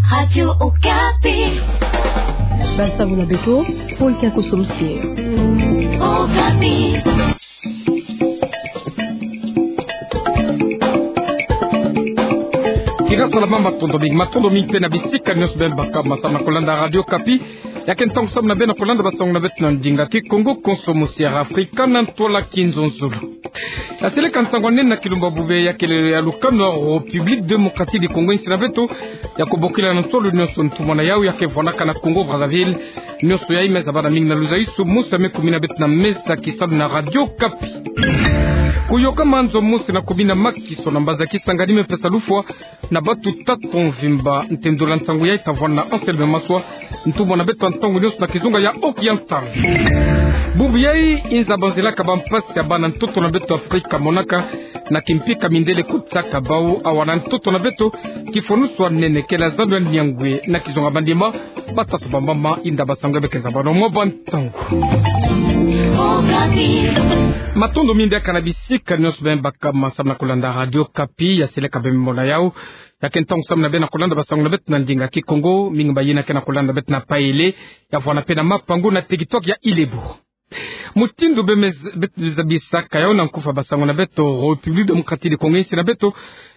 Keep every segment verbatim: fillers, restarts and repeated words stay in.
Radio Okapi. Basango na beto, Paul Kiakoso Mosier. Okapi. Kira salama, matondo mingi, matondo mingi mpe na bisika nyonso beno baka masamu na kolanda Radio Okapi. Ya ke ntangu samu na beno na kolanda basango na beto na ndinga Kikongo, konso Mosier Afrika na ntwala Kinzonzolo. Ya seleka nsangu nene na kilumbu bubu ya kelelo ya lukanu ya République Démocratique du Congo, insi na beto, ya kobokila na ntwala nyonso ntumwa na yau ya ke vwanaka na Congo Brazzaville. Nyonso yayi me zabana mingi na luzaisu mosi ya me kumina beto na mesa kisalu na Radio Okapi. Kuyoka manzo mosi na kumina makiso na mbazi ya kisangani me pesa lufwa na bato tatu mvimba. Ntendula nsangu yayi ta vwanda na Anselme Maswa, ntumwa na beto ya ntangu nyonso na kizunga ya Oriental. Bubu yayi inza banzelaka bampasi ya bana ntoto na beto Afrika monaka, na kimpika mindele kotisaka bau awa na ntoto na beto, kifwanusu ya nene kele zando ya niangwe na kizunga bandima. Batatu bambama inda basango ya bekenza bana mwa bantangu. Matondo mingi diaka na bisika nyonso beno baka masamu na kolanda Radio Okapi. Ya seleka beno mona yau, ya ke ntangu samu na beno na kolanda basango na beto na ndinga Kikongo, mingi bayina ke na kolanda beto na Paele, ya vwanda mpe na Mapangu na territoire ya Ile-Bou. Mutindu beno me z-, beto zabisaka yau na nkufa basango na beto, République Démocratique du Congo, insi na beto,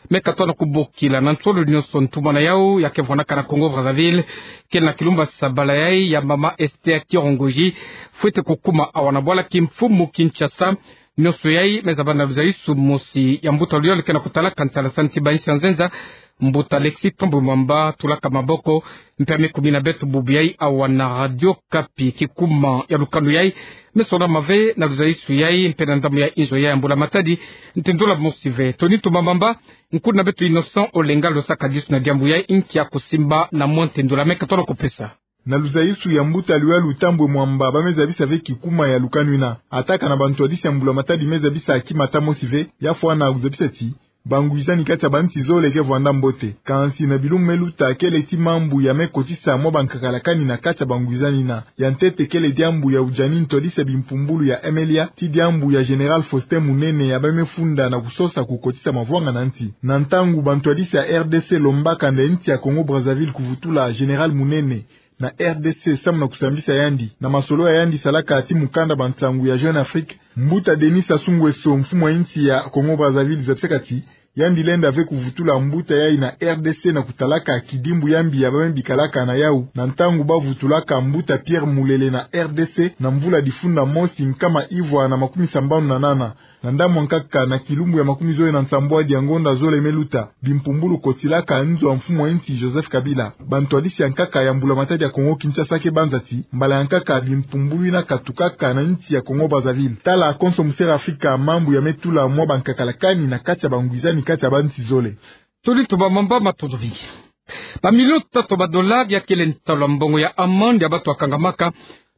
me katoa na kubokila na ntwala nyonso ntumwa na yau ya ke vwanaka na Congo Brazzaville, kele na kilumbu ya sabala yayi ya mama Esther Kirongoji, fwete kukuma awa na bwala kimfumu Kinshasa. Nyonso yayi me zabana na luzaisu mosi ya mbuta luyole ke na kutalaka ntala santi ba insi ya nzenza, mbuta Alexis Thambwe Mwamba, tulaka maboko, mpe ya me kumina beto bubu yayi awa na Radio Okapi. Kikuma ya lukanu yayi me sonama ve na luzaisu yayi mpe na ndambu ya inzo yayi ya mbula matadi, ntendula mosi ve. Tony Tumba Mwamba, nkuna beto Innocent Olenga losaka disu na diambu yayi, nkia kusimba na mwa ntendula me katoa na kupesa. Na luzaisu ya mbuta luyole Thambwe Mwamba, ba me zabisa ve kikuma ya lukanu yina. Ata kana bantwadisi ya mbula matadi me zabisa kimata mosi ve, ya fwana kuzabisa ti bangwizani kati ya bansi zole ke vwanda mbote. Kansi na bilumbu me luta, kele ti mambu ya me kotisa mwa bankakala kani na kati ya bangwizani yina. Ya ntete kele diambu ya ujani ntwadisi ya bimpumbulu ya M L A, ti diambu ya Général Faustin Munene ya ba me funda na kusosa kukotisa mavwanga na nsi. Na ntangu bantwadisi ya R D C lombaka nde nsi ya Congo Brazzaville kuvutula Général Munene na R D C samu na kusambisa yandi, na masolo ya yandi salaka ti mukanda bansangu ya Jeune Afrique, mbuta Denis Sassou Nguesso, mfumu ya nsi ya Congo Brazzaville, zabisaka ti yandi lenda ve kuvutula mbuta yayi na R D C na kutalaka kidimbu ya mbi ya ba me bikalaka na yau, na ntangu ba vutulaka mbuta Pierre Mulele na R D C na mvula difunda mosi nkama ivwa na makumi sambanu na nana. Na ndambu ya nkaka, na kilumbu ya makumi zole na nsambwadi ya ngonda zole me luta, bimpumbulu kotilaka nzo ya mfumu ya nsi Joseph Kabila, bantwadisi ya nkaka ya mbula matadi ya Congo Kinshasa ke banza ti mbala ya nkaka bimpumbulu yina katukaka na nsi ya Congo Brazzaville. Tala konso Mosier Afrika, mambu ya me tula mwa bankakala kani na kati ya bangwizani kati ya bansi zole. Tony Tumba Mwamba, matondo mingi. Ba millions tatu ba dollars ya kele ntalu ya mbongo ya amende ya bato ya kangamaka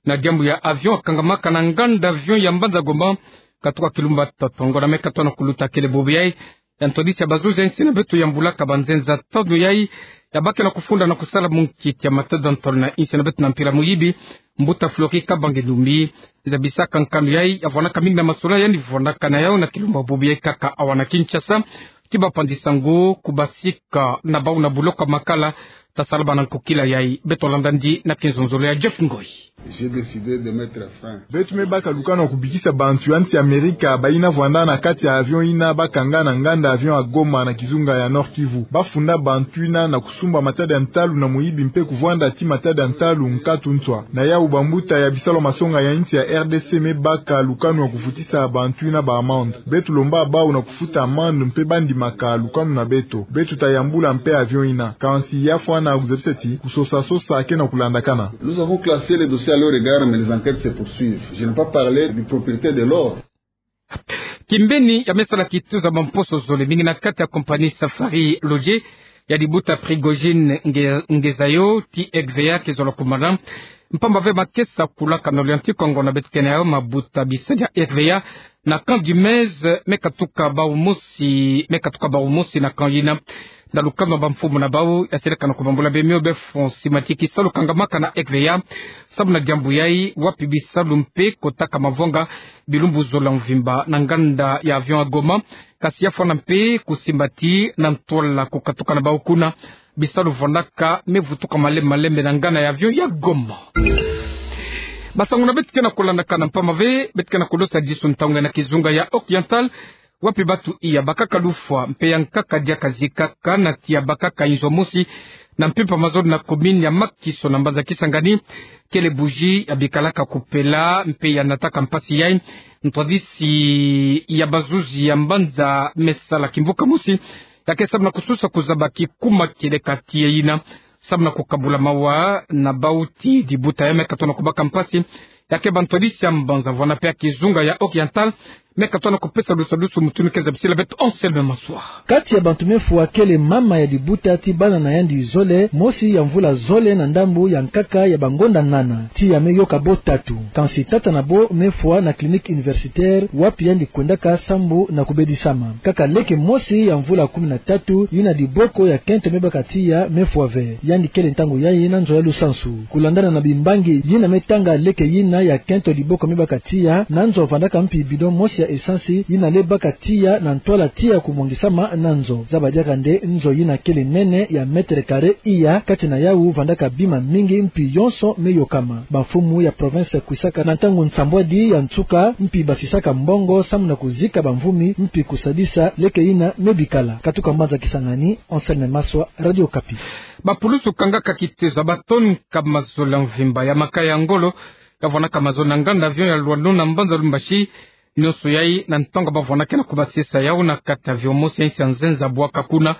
na diambu ya avion ya kangamaka na nganda avion ya mbanza Goma, katuka kilumbu tatu ya ngonda me katoa na kuluta. Kele bubu yayi ya ntwadisi ya bazuzi ya nsi na beto yambulaka banzenza tanu yayi ya ba ke na kufunda na kusala munkiti ya matadi ya ntalu na nsi na beto na mpila muyibi, mbuta Flori Kabange Ndumbi, zabisaka nkanu yayi ya vwanaka mingi na masolo yandi vwanaka na yau na kilumbu bubu yayi kaka awa na Kinshasa, ti bapanzi sango kubasika na bau na buloko ya makala. Tasalama na nkokila yayi, beto landa yandi na kinzonzolo ya Jeff Ngoi. J'ai décidé de mettre fin. Beto me baka lukanu ya kubikisa bantu ya nsi Amerika bayina vwanda na kati ya avion yina ba kanga na nganda avion ya Goma na kizunga ya Nord-Kivu. Ba funda bantu yina na kusumba matadi ya ntalu na muyibi mpe kuvwanda ti matadi ya ntalu nkatu nswa. Na yau bambuta ya bisalu ya masonga ya nsi ya R D C me baka lukanu ya kuvutisa bantu yina ba amende. Beto lomba bau na kufuta amende mpe ba ndimaka lukanu na beto. Beto tayambula mpe avion yina. Kansi ya fwana kuzabisa ti kusosa-sosa ke na kulandakana. Nous avons classé les dossiers à leur égard, mais les enquêtes se poursuivent. Je n'ai pas parlé du propriétaire de l'or. Kimbeni ya me sala kituza mamposo zole mingi na kati ya compagnie Safari Lodge ya dibuta Prigogine Nge-, Ngezayo ti R V A ke zola kumana. Mpamba ve ma ke sakulaka na Oriental Congo na beto kena yau mabuta bisadi ya R V A na camp du Mez, me katuka bau mosi, me katuka bau mosi na camp yina. Na lukanu ya bamfumu na bau, ya seleka na kubambula bemio befo nsi matiki salu kangamaka na R V A samu na diambu yayi, wapi bisalu mpe kotaka mavwanga bilumbu zola mvimba na nganda ya avion ya Goma. Kasi ya fwana mpe kusimba ti na ntwala kukatuka na bau kuna Bisalu vwandaka me vutuka malembe malembe na ngana ya avion ya Goma. Basango na beto ke na kulandakana mpamba ve, beto ke na kudosa disu ntangu na kizunga ya Occidental, wapi bantu iya bakaka lufwa mpe ya nkaka diaka zikaka na tiya bakaka inzo mosi na mpimpa mazono na commune ya Makiso na mbanza Kisangani, kele buji ya bikalaka kupela mpe ya nataka mpasi yai. Ntwadisi ya bazuzi ya mbanza me sala kimvuka mosi ya ke samu na kususa kuzaba kikuma kieleka tiya yina, samu na kukabula mawa na bau ti dibuta ya me katona kubaka mpasi. Ya ke ba ntwadisi ya mbanza vwanda mpe ya kizunga ya Occidental me katona kupesa dusu dusu mutindu ke zabisila beto Anselme Maswa. Kati ya bantu me fwa kele mama ya dibuta ti bana na yandi zole, mosi ya mvula zole na ndambu ya nkaka ya bangonda nana. Tiya me yoka bo tatu. Kansi tata na bo me fwa na clinique universitaire, wapi yandi kwendaka sambu na kubedisama. Kaka leke mosi ya mvula kumi na tatu, yina diboko ya kento me baka tiya me fwa ve. Yandi kele ntangu yayi na nzo ya lusansu. Kulandana na bimbangi yina me tanga leke yina ya kento diboko me baka tiya, na nzo vandaka mpi bidon mosi ya essence, yina le baka tiya na ntwala tiya kumwangisama na nzo. Zaba diaka nde nzo yina kele nene ya mètre carré iya, kati na yawu vandaka bima mingi mpi yonso me yokama. Bamfumu ya province kwisaka na ntangu nsambwadi ya nsuka, mpi basisaka mbongo samu na kuzika bamvumi, mpi kusadisa leke yina me bikala. Katuka mbanza Kisangani, Anselme Maswa, Radio Okapi. Bapulusu kangaka kitezo ya ba tonnes nkama zole ya mvimba ya makaya ya ngolo, ya vwandaka mazono na nganda avion ya Loineau na mbanza Lubumbashi. Nionso yayi na ntangu ba vwandaka na kubasisa yawu na kati ya avion mosi ya insi ya nzenza bwaka kuna,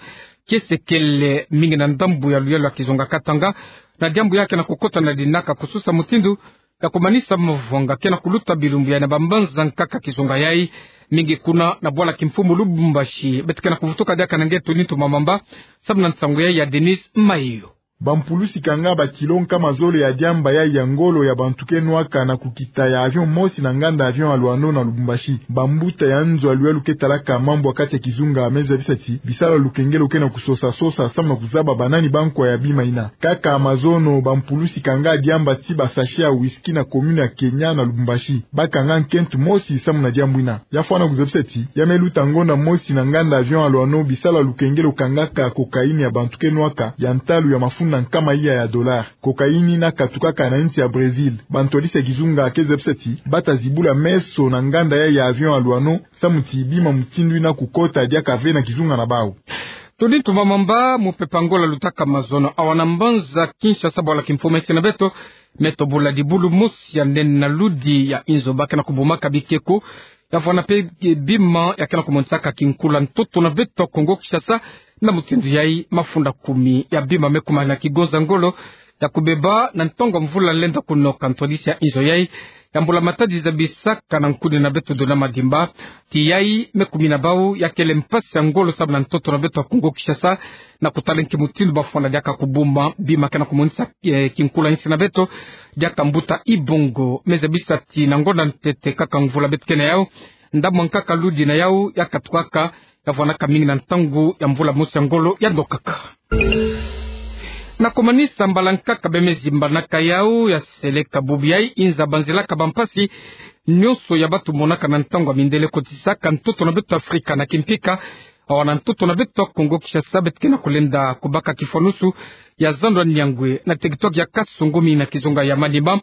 kiese kele mingi na ndambu ya luyalu ya kizunga Katanga, na diambu ya ke na kukota na dinaka kususa mutindu ya kumanisa mavanga ke na kuluta bilumbu yayi na bambanza nkaka kizunga yayi, mingi kuna na bwala kimfumu Lubumbashi. Beto ke na kuvutuka diaka na nge Tony Ntumamamba, samu na nsangu yayi ya Denis Mayo. Bampulusi kanga ba kilo nkama zole ya diamba yayi ya ngolo ya bantu ke nwaka na kukita ya avion mosi na nganda avion ya Loineau na Lubumbashi. Bambuta ya nzo ya luyalu ke talaka mambu ya kati ya kizunga me zabisa ti bisalu ya lukengelo ke na kusosa sosa samu na kuzaba banani bankwa ya bima yina. Kaka mazono, bampulusi kanga diamba ti ba sachet ya whisky na commune ya Kenya na Lubumbashi. Ba kanga nkento mosi samu na diambu yina. Ya fwana kuzabisa ti ya me luta ngonda mosi na nganda avion ya Loineau bisalu ya lukengelo kangaka cocaïne ya bantu ke nwaka ya ntalu ya mafunda nkama iya ya dollars. Cocaïne yina katukaka na insi ya Brésil. Bantwadisi ya kizunga ke zabisa ti ba ta zibula meso na nganda yayi ya avion ya Loineau samu ti bima mutindu yina kukota diaka ve na kizunga na bawu. Tony Ntumamamba. Mupepe ya ngolo ya lutaka mazono awa na mbanza Kinshasa, bwala kimfumu ya insi na beto, me tobola dibulu mosi ya nene na ludi ya inzo ba ke na kubumaka bikeko, ya vwanda mpe bima ya ke na kumonisaka kinkulu ya ntoto na beto Kongo Kinshasa. Na mutindu yayi, mafunda kumi ya bima me kuma na kigonza ngolo ya kubeba na ntangu ya mvula lenda kunoka. Ntwadisi ya inzo yayi ya mbula matadi zabisaka na nkuni na beto Donat Madimba ti yayi me kumi na bawu ya kele mpasi ya ngolo samu na ntoto na beto ya Kongo Kinshasa, na kutala nki mutindu ba fwana diaka kubumba bima ke na kumonisa, eh, kinkulu ya insi na beto. Diaka mbuta Ibongo me zabisa ti na ngonda ntete kaka mvula beto ke na yawu, ndambu ya nkaka ludi na yawu ya katukaka, ya vwanaka mingi na ntangu ya mvula mosi ya ngolo ya ndokaka. Na kumanisa mbala nkaka be me zimbanaka yawu ya seleka bubu yayi inza banzelaka bampasi nionso ya ba tumonaka na ntangu ya mindele kotisaka ntoto na beto Afrika na kimpika. Awa na ntoto na beto Kongo Kinshasa beto ke na kulenda kubaka kifwanusu ya zandu ya Niangoué na territoire ya Kasongo mingi na kizunga ya Maniema.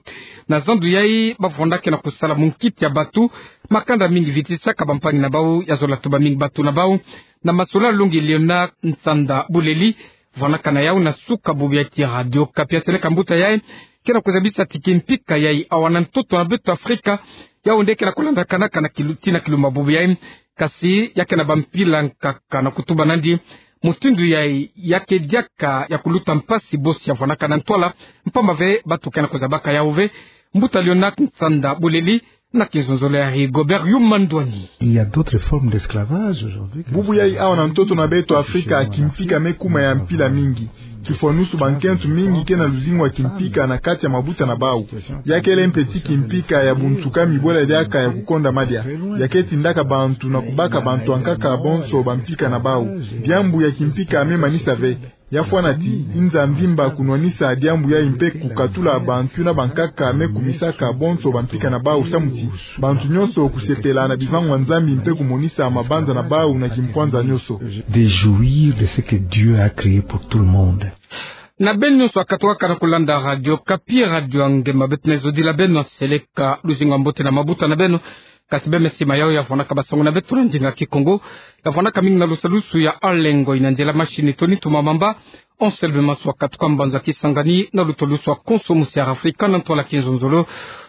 Na zandu yayi ba vwanda ke na kusala munkiti ya batu, makanda mingi vitisaka bampangi na bawu, ya zola tuba mingi batu na bawu. Na masolo ya longi Léonard Nsanda Buleli, vwanaka na yawu na suka bubu yayi ti Radio Okapi. Ya seleka mbuta yayi ke na kuzabisa ti kimpika yayi awa na ntoto na beto Afrika, yawu nde ke na kulandakanaka na kilu-, tii na kilumbu ya bubu yayi, kasi ya ke na bampila nkaka na kutuba nandi mutindu yayi ya ke diaka ya kuluta mpasi bosi ya vwanaka na ntwala, mpamba ve batu ke na kuzabaka yawu ve. Mbuta Léonard Nsanda Buleli, na kizonzolo ya Rigobert Yuma Ndwani. Il y a d'autres formes d'esclavage aujourd'hui que... Bubu yayi awa na ntoto na beto Afrika, kimpika me kuma ya mpila mingi. Kifwanusu, bankento mingi ke na luzingu ya kimpika na kati ya mabuta na bawu. Ya kele mpe ti kimpika ya bunsuka, mi bwela diaka ya kukonda madia. Ya ke tindaka bantu na kubaka bantu ankaka bonso bampika na bawu. Diambu ya kimpika me manisa ve. Ya fwana ti, Nzambi mba kunwanisa diambu yayi mpe kukatula bantu na bankaka me kumisaka bonso bampika na bawu samu ti bantu nyonso kusepela na bivangu bia Nzambi mpe kumonisa mabanza na bawu na kimpwanza nyonso. De jouir de ce que Dieu a créé pour tout le monde. Na beno nyonso akatuka na kulanda Radio Okapi, Radio ya Ngema, beto na zodila beno seleka luzingu ya mbote na mabuta na beno. Kasi bemesima yayo ya vwanaka basangu na beto na ndinga Kikongo, ya vwanaka mingi na lusalusu ya Alengo, ina nzila machine Tony Tumamamba. Anselme Maswa katuka mbanza Kisangani na lutolusu ya konso musiara Afrika na ntwala Kinzonzolo.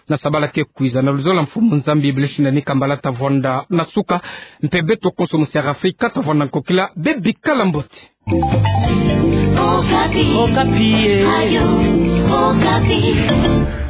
Na sabala ke kwiza, na luzolo ya Mfumu Nzambi, Blaise Nani Kambala ta vwanda na suka, mpe beto konso musiara Afrika ta vwanda nkokila, bebikala mbote. Okapi. Okapi, eh. Radio Okapi.